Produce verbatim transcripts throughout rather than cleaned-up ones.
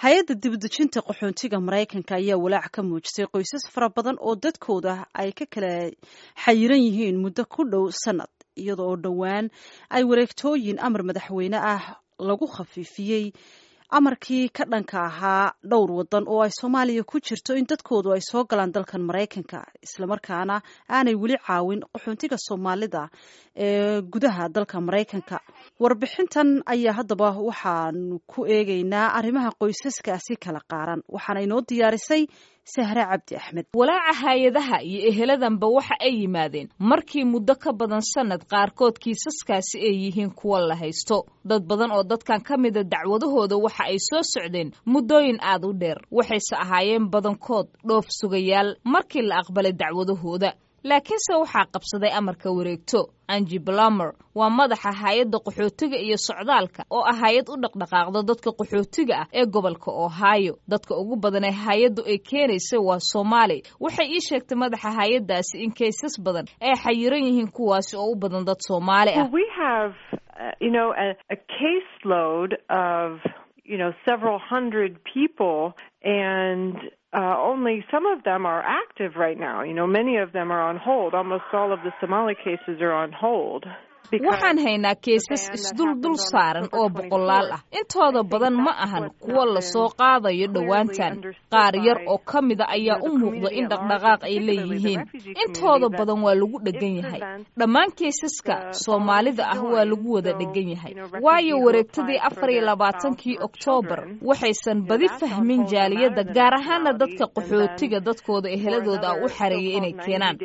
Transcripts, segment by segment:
Hay-adda dibadejinta qaxoontiga Maraykanka ayaa walaac ka muujisay qoysas fara badan oo dadkooda ay ka kala xayiran yihiin muddo ku dhow sanad, iyada oo dhowaan ay wareegtooyin amar madaxweyne ah lagu khafiifiyey amarkii ka dhanka ahaa dhowr wadan oo ay Soomaaliya ku jirto in dadkoodu ay soo galaan dalkan Maraykanka, islamarkaana aanay weli caawin qaxoontiga Soomaalida ee gudaha dalka Maraykanka. Warbixintan ayaa haddaba waxaanu ku eegaynaa arrimaha qoysaskaasi kala qaaran, waxaana inoo diyaarisay Sahre Cabdi Axmed. Walaaca hay-adaha iyo eheladanba waxa ay yimaadeen markii muddo ka badan sanad qaarkood kiisaskaasi ay yihiin kuwa la haysto. Dad badan oo dadkan ka mida dacwadahooda waxa ay soo socdeen muddooyin aad u dheer, waxayse ahaayeen badankood dhoof sugayaal markii la aqbalay dacwadahooda, laakiinse waxaa qabsaday amarka wareegto. Angi Blamer waa madaxa hay-adda qaxootiga iyo socdaalka oo ah hay-ad u dhaqdhaqaaqda dadka qaxootiga ah ee gobolka Ohio. Dadka ugu badan ee hay-addu ay keenaysa waa Soomaali. Waxay ii sheegtay madaxa hay-addaasi in kaysas badan ay xayiran yihiin, kuwaasi oo u badan dad Soomaali ah. you know several hundred people, and uh, only some of them are active right now. You know, many of them are on hold. Almost all of the Somali cases are on hold. Waxaan haynaa keesas isduldul saaran oo boqolaal ah. Intooda badan ma ahan kuwa lasoo qaadayo dhowaantan. Qaar yar oo ka mida ayaa u muuqda in dhaqdhaqaaq ay leeyihiin. Intooda badan waa lagu dhegan yahay. Dhammaan keesaska Soomaalida ah waa lagu wada dhegan yahay, waayo wareegtadii afar iyo labaatankii Oktoobar waxaysan badi fahmin jaaliyadda, gaar ahaana dadka qaxootiga dadkooda eheladooda ah u xareeyay inay keenaan,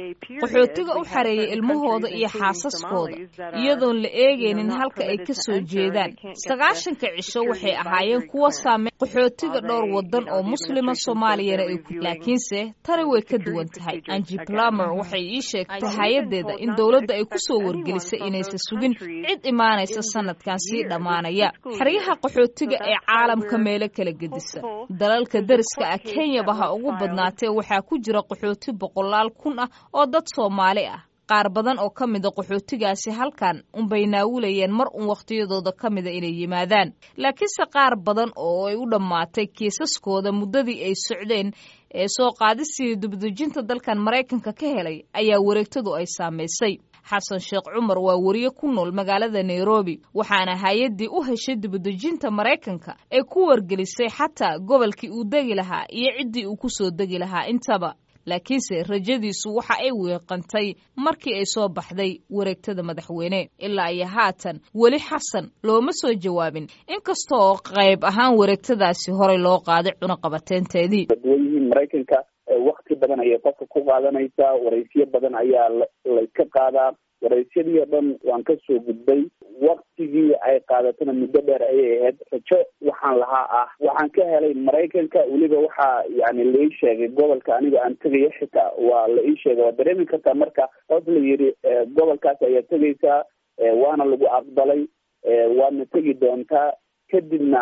qaxootiga u xareeyay ilmahooda iyo xaasaskooda, iyadoon la eegaynin halka ay ka soo jeedaan. Sagaashanka cisho waxay ahaayeen kuwa saameyn qaxootiga dhowr wadan oo Muslima, Soomaaliyana ay ku, laakiinse tani way ka duwan tahay. Angi Plumer waxay ii sheegtay hay-addeeda in dowladda ay ku soo wargelisay inaysan sugin cid imaanaysa sanadkan sii dhammaanaya. Xeryaha qaxootiga ee caalamka meelo kala gedisa, dalalka deriska ah, Kenyaba ha ugu badnaatee, waxaa ku jira qaxooti boqolaal kun ah oo dad Soomaali ah. Qaar badan oo ka mida qaxootigaasi halkan unbay naawulayeen mar un wakhtiyadooda ka mida inay yimaadaan, laakiinse qaar badan oo ay u dhammaatay kiisaskooda muddadii ay socdeen ee soo qaadistii dibadejinta dalkan Maraykanka ka helay ayaa wareegtadu ay saamaysay. Xasan Sheekh Cumar waa wariye ku nool magaalada Nairobi, waxaana hay-addii u heshay dibadejinta Maraykanka ee ku wargelisay xataa gobolkii uu degi lahaa iyo ciddii uu ku soo degi lahaa intaba, laakiinse rajadiisu waxa ay weeqantay markii ay soo baxday wareegtada madaxweyne. Ilaa iyo haatan weli Xasan looma soo jawaabin, inkasta oo qayb ahaan wareegtadaasi horey loo qaaday cunaqabateynteedii. Duwan yihiin Maraykanka, wakti badan ayay qofka ku qaadanaysaa, waraysiyo badan ayaa layska qaadaa. Waraysyadii oo dhan waan kasoo gudbay, waktigii ay qaadatana muddo dheer ayay ahayd. Rajo waxaan lahaa ah waxaan ka helay Maraykanka, weliba waxaa yani la ii sheegay gobolka aniga aan tegayo, xitaa waa la ii sheegay. Waa dareemi kartaa marka hoos la yidhi gobolkaas ayaa tegaysaa, waana lagu aqbalay, waadna tegi doontaa, kadibna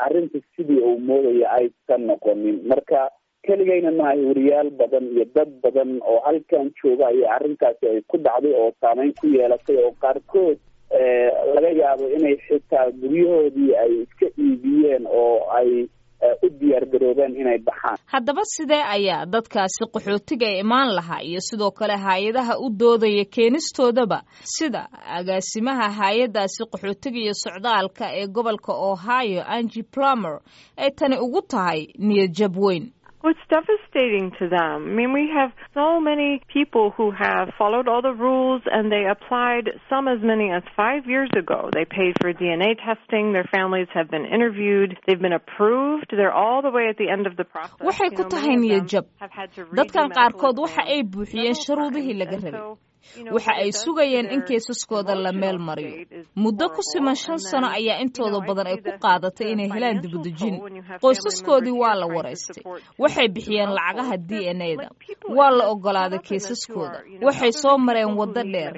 arrinta sidii uu moodaya aysan noqonin. Marka keligayna maaha, wariyaal badan iyo dad badan oo halkan jooga ayay arrintaasi ay ku dhacday oo saameyn ku yeelatay, oo qaarkood laga yaabo inay xitaa guryahoodii ay iska iibiyeen oo ay u diyaar garoobeen inay baxaan. Haddaba sidee ayaa dadkaasi qaxootiga ee imaan lahaa iyo sidoo kale hay-adaha u doodaya keenistoodaba, sida agaasimaha hay-addaasi qaxootiga iyo socdaalka ee gobolka Ohio, Angi Plumer, ay tani ugu tahay niyad jab weyn? Well, it's devastating to them. I mean, we have so many people who have followed all the rules and they applied, some as many as five years ago. They paid for D N A testing. Their families have been interviewed. They've been approved. They're all the way at the end of the process. Waxay ku tahay niyad jab dadkan. Qaarkood waxa ay buuxiyeen shuruudihii laga rabay, waxa ay sugayeen in keesaskooda la meel mariyo. Muddo ku siman shan sano ayaa intooda badan ay ku qaadatay inay helaan dibadejin. Qoysaskoodii waa la waraystay, waxay bixiyeen lacagaha D N A da, waa la ogolaaday keesaskooda, waxay soo mareen waddo dheer.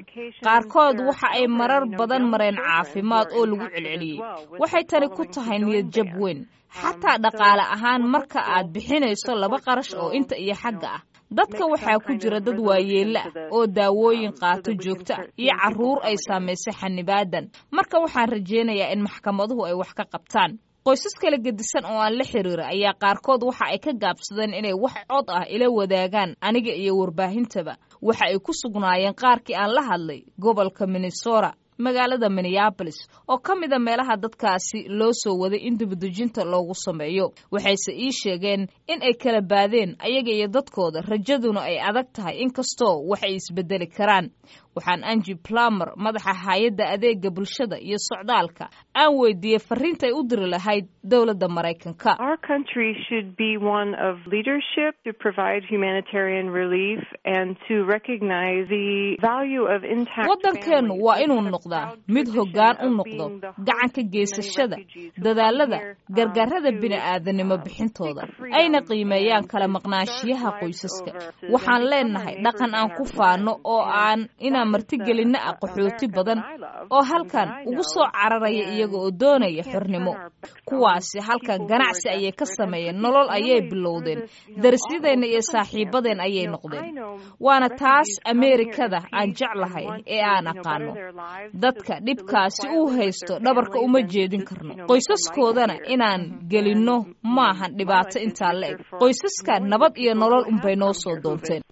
Qaarkood waxa ay marar badan mareen caafimaad oo lagu celceliyey. Waxay tani ku tahay niyad jab weyn, xataa dhaqaale ahaan, marka aad bixinayso laba qarash oo inta iyo xagga ah. Dadka waxaa ku jira dad waayeella ah oo daawooyin qaato joogto ah iyo carruur ay saamaysay xanibaadan. Marka waxaan rajaynayaa in maxkamaduhu ay wax ka qabtaan. Qoysas kala gedisan oo aan la xiriira ayaa qaarkood waxa ay ka gaabsadeen inay wax cod ah ila wadaagaan aniga iyo warbaahintaba. Waxa ay ku sugnaayeen qaarkii aan la hadlay gobolka Minnesota, magaalada Minneapolis, oo ka mida meelaha dadkaasi loo soo waday in dibadejinta loogu sameeyo. Waxayse ii sheegeen in ay kala baadeen ayaga iyo dadkooda, rajaduna ay adag tahay, inkastoo wax ay isbedeli karaan. Waxaan Angie Plummer, madaxa hay-adda adeega bulshada iyo socdaalka, aan weydiiyey fariinta ay u diri lahayd dowladda Maraykanka. Our country should be one of leadership to provide humanitarian relief and to recognize the value of intact. Waddankeennu waa inuu noqdaa mid hoggaan u noqdo gacanka geysashada dadaalada gargaarada bini'aadanimo bixintooda, ayna qiimeeyaan kala maqnaanshiyaha qoysaska. Waxaan leenahay dhaqan aan ku faano oo aan inaan martigelinno ah qaxooti badan oo halkan ugu soo cararaya iyaga oo doonaya xornimo. Kuwaasi halkan ganacsi ayay ka sameeyeen, nolol ayay bilowdeen, darisyadeenna iyo saaxiibadeen ayay noqdeen. Waana taas Ameerikada aan jeclahay ee aan aqaano. Dadka dhibkaasi uu haysto dhabarka uma jeedin karno, qoysaskoodana inaan gelinno maahan dhibaato intaa la eg. Qoysaska nabad iyo nolol unbay noo soo doonteen.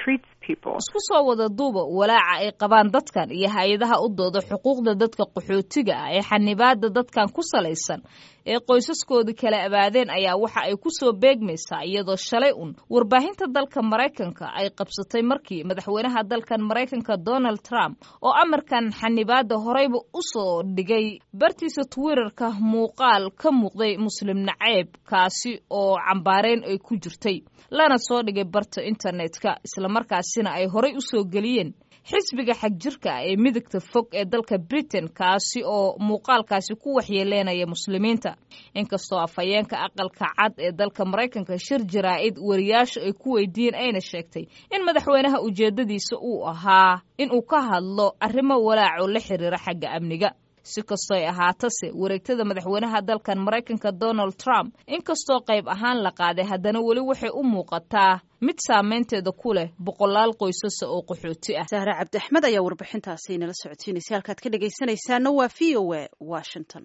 Isku soo wada duuba, walaaca ay qabaan dadkan iyo hay-adaha u dooda xuquuqda dadka qaxootiga ah ee xanibaada dadkan ku salaysan ee qoysaskoodii kala abaadeen ayaa waxa ay ku soo beegmaysaa iyadoo shalay un warbaahinta dalka Maraykanka ay qabsatay markii madaxweynaha dalkan Maraykanka Donald Trump, oo amarkan xanibaada horeyba u soo dhigay bartiisa Twitterka, muuqaal ka muuqday muslim naceeb kaasi oo cambaareyn ay ku jirtay, lana soo dhigay barta internetka, islamarkaasina ay horey u soo geliyeen xisbiga xagjirka ah ee midigta fog ee dalka Britain, kaasi oo muuqaalkaasi ku waxyeeleynaya muslimiinta. Inkastoo afhayeenka Aqalka Cad ee dalka Maraykanka shir jaraa'id wariyaashu ay ku weydiiyeen ayna sheegtay in madaxweynaha ujeedadiisa uu ahaa in uu ka hadlo arrimo walaaco la xiriira xagga amniga. Si kastoo ay ahaatase, wareegtada madaxweynaha dalkan Maraykanka Donald Trump, inkastoo qayb ahaan la qaaday, haddana weli waxay u muuqataa mid saameynteeda ku leh boqolaal qoysasa oo qaxooti ah. Sahre Cabdi Axmed ayaa warbixintaasi inala socodsiinaysa. Halkaad ka dhegaysanaysaana waa V O A Washington.